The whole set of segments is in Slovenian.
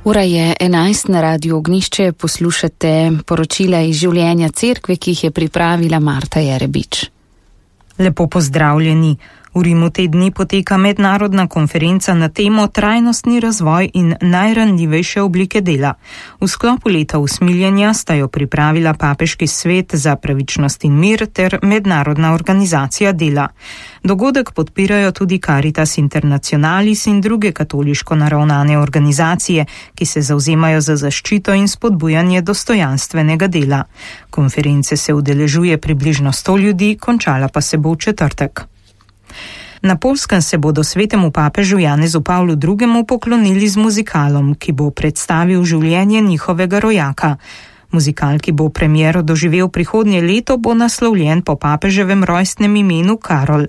Ura je 11 na Radiu Ognjišče, poslušate poročila iz življenja cerkve, ki jih je pripravila Marta Jerebič. Lepo pozdravljeni. V Rimu te dni poteka mednarodna konferenca na temo trajnostni razvoj in najranljivejše oblike dela. V sklopu leta usmiljenja sta jo pripravila Papeški svet za pravičnost in mir ter Mednarodna organizacija dela. Dogodek podpirajo tudi Caritas Internationalis in druge katoliško naravnane organizacije, ki se zavzemajo za zaščito in spodbujanje dostojanstvenega dela. Konference se udeležuje približno 100 ljudi, končala pa se bo v četrtek. Na Poljskem se bodo svetemu papežu Janezu Pavlu II. Poklonili z muzikalom, ki bo predstavil življenje njihovega rojaka. Muzikal, ki bo premiero doživel prihodnje leto, bo naslovljen po papeževem rojstnem imenu Karol.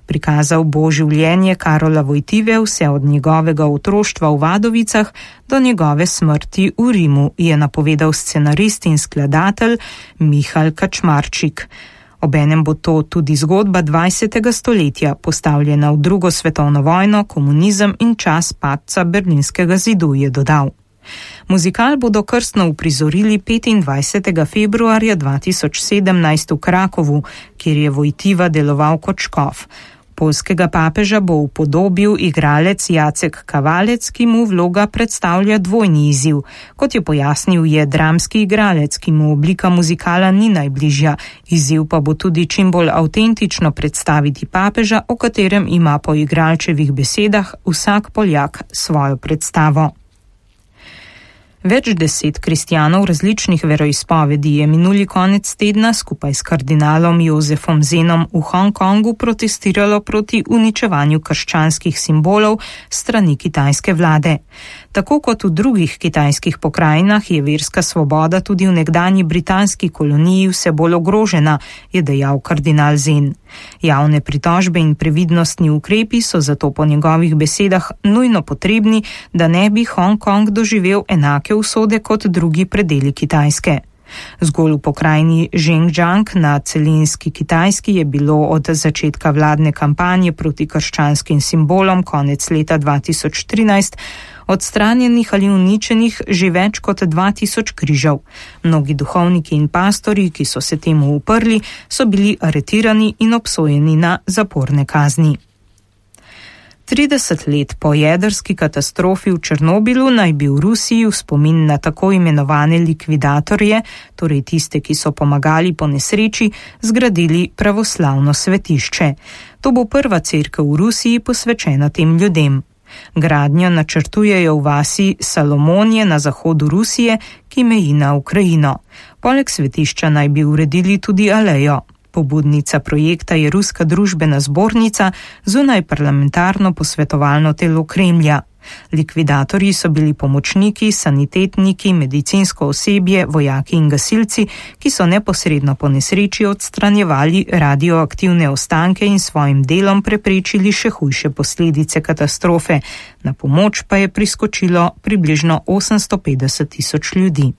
Prikazal bo življenje Karola Vojtive vse od njegovega otroštva v Vadovicah do njegove smrti v Rimu, je napovedal scenarist in skladatelj Michal Kačmarčik. Obenem bo to tudi zgodba 20. stoletja, postavljena v drugo svetovno vojno, komunizem in čas padca Berlinskega zidu, je dodal. Muzikal bodo krstno uprizorili 25. februarja 2017 v Krakovu, kjer je Vojtiva deloval kot škof. Poljskega papeža bo upodobil igralec Jacek Kavalec, ki mu vloga predstavlja dvojni izziv. Kot je pojasnil, je dramski igralec, ki mu oblika muzikala ni najbližja. Izziv pa bo tudi čim bolj avtentično predstaviti papeža, o katerem ima po igralčevih besedah vsak Poljak svojo predstavo. Več 10 kristjanov različnih veroizpovedi je minuli konec tedna skupaj s kardinalom Jozefom Zenom v Hongkongu protestiralo proti uničevanju krščanskih simbolov strani kitajske vlade. Tako kot v drugih kitajskih pokrajinah je verska svoboda tudi v nekdanji britanski koloniji vse bolj ogrožena, je dejal kardinal Zen. Javne pritožbe in previdnostni ukrepi so zato po njegovih besedah nujno potrebni, da ne bi Hongkong doživel enake usode kot drugi predeli Kitajske. Zgolj v pokrajini Xinjiang na celinski Kitajski je bilo od začetka vladne kampanje proti krščanskim simbolom konec leta 2013 odstranjenih ali uničenih že več kot 2000 križev. Mnogi duhovniki in pastorji, ki so se temu uprli, so bili aretirani in obsojeni na zaporne kazni. 30 let po jedrski katastrofi v Černobilu naj bi v Rusiji v spomin na tako imenovane likvidatorje, torej tiste, ki so pomagali po nesreči, zgradili pravoslavno svetišče. To bo prva cerkev v Rusiji posvečena tem ljudem. Gradnjo načrtujejo v vasi Salomonje na zahodu Rusije, ki meji na Ukrajino. Poleg svetišča naj bi uredili tudi alejo. Pobudnica projekta je Ruska družbena zbornica, zunaj parlamentarno posvetovalno telo Kremlja. Likvidatorji so bili pomočniki, sanitetniki, medicinsko osebje, vojaki in gasilci, ki so neposredno po nesreči odstranjevali radioaktivne ostanke in svojim delom preprečili še hujše posledice katastrofe. Na pomoč pa je priskočilo približno 850 000 ljudi.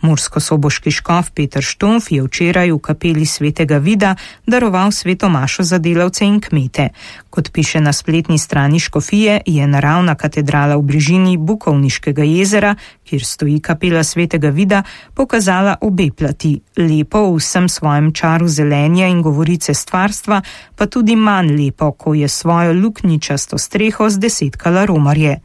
Murskosoboški škof Peter Štumf je včeraj v kapeli Svetega Vida daroval sveto mašo za delavce in kmete. Kot piše na spletni strani škofije, je naravna katedrala v bližini Bukovniškega jezera, kjer stoji kapela Svetega Vida, pokazala obe plati, lepo v vsem svojem čaru zelenja in govorice stvarstva, pa tudi manj lepo, ko je svojo luknjičasto streho zdesetkala romarje.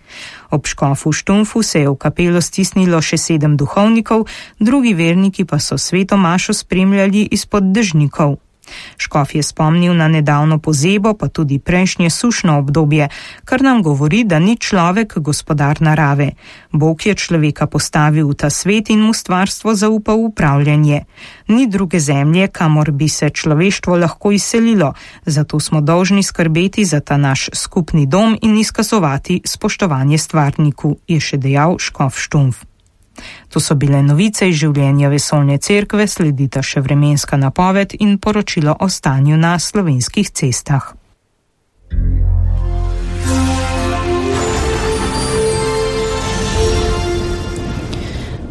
Ob škofu Štumfu se je v kapelo stisnilo še 7 duhovnikov, drugi verniki pa so sveto mašo spremljali izpod dežnikov. Škof je spomnil na nedavno pozebo, pa tudi prejšnje sušno obdobje, kar nam govori, da ni človek gospodar narave. Bog je človeka postavil v ta svet in mu stvarstvo zaupal upravljanje. Ni druge zemlje, kamor bi se človeštvo lahko izselilo, zato smo dolžni skrbeti za ta naš skupni dom in izkazovati spoštovanje stvarniku, je še dejal škof Štumf. To so bile novice iz življenja vesoljne cerkve, sledita še vremenska napoved in poročilo o stanju na slovenskih cestah.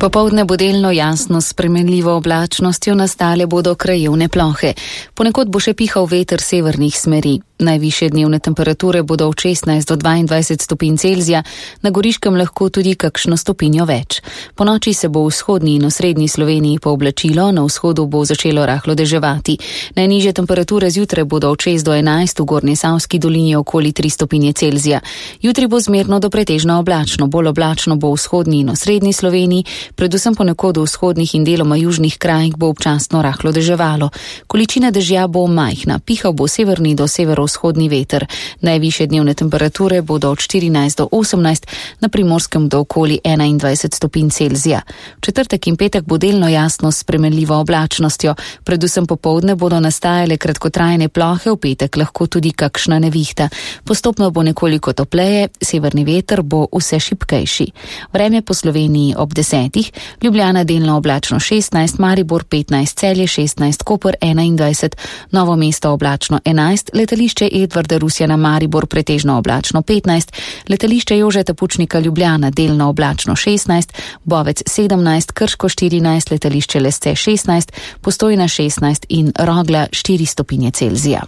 Popoldne bo delno jasno s spremenljivo oblačnostjo, nastale bodo krajevne plohe. Ponekod bo še pihal veter severnih smeri. Najvišje dnevne temperature bodo od 16 do 22 stopinj Celzija, na Goriškem lahko tudi kakšno stopinjo več. Po noči se bo v vzhodni in osrednji Sloveniji pooblačilo, na vzhodu bo začelo rahlo deževati. Najnižje temperature zjutraj bodo od 6 do 11, v Gornji Savski dolini okoli 3 stopinje Celzija. Jutri bo zmerno do pretežno oblačno, bolj oblačno bo v vzhodni in osrednji Sloveniji, predvsem ponekod v vzhodnih in deloma južnih krajih bo občasno rahlo deževalo. Količina dežja bo majhna, pihal bo severni do severovzhodni veter. Najvišje dnevne temperature bodo od 14 do 18, na Primorskem do okoli 21 stopinj Celzija. V četrtek in petek bo delno jasno s spremenljivo oblačnostjo, predvsem popoldne bodo nastajale kratkotrajne plohe, v petek lahko tudi kakšna nevihta. Postopno bo nekoliko topleje, severni veter bo vse šibkejši. Vreme po Sloveniji ob 10. Ljubljana delno oblačno 16, Maribor 15, Celje 16, Koper 21, Novo mesto oblačno 11, letališče Edvarda Rusjana Maribor pretežno oblačno 15, letališče Jožeta Pučnika Ljubljana delno oblačno 16, Bovec 17, Krško 14, letališče Lesce 16, Postojna 16 in Rogla 4 stopinje Celzija.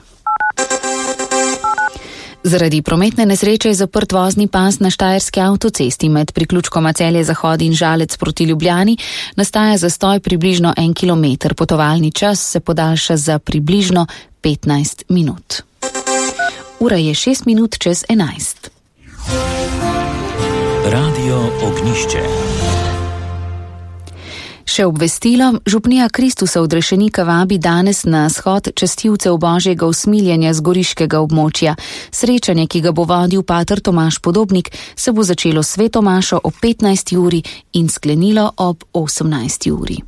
Zaradi prometne nesreče je zaprt vozni pas na Štajerski avtocesti med priključkoma Celje-Zahod in Žalec proti Ljubljani. Nastaja zastoj približno 1 kilometer. Potovalni čas se podaljša za približno 15 minut. Ura je 6 minut čez 11. Radio Ognišče. Še obvestilo, župnija Kristusa Odrešenika vabi danes na shod častilcev Božjega usmiljenja z goriškega območja. Srečanje, ki ga bo vodil pater Tomaž Podobnik, se bo začelo s sveto mašo ob 15. uri in sklenilo ob 18. uri.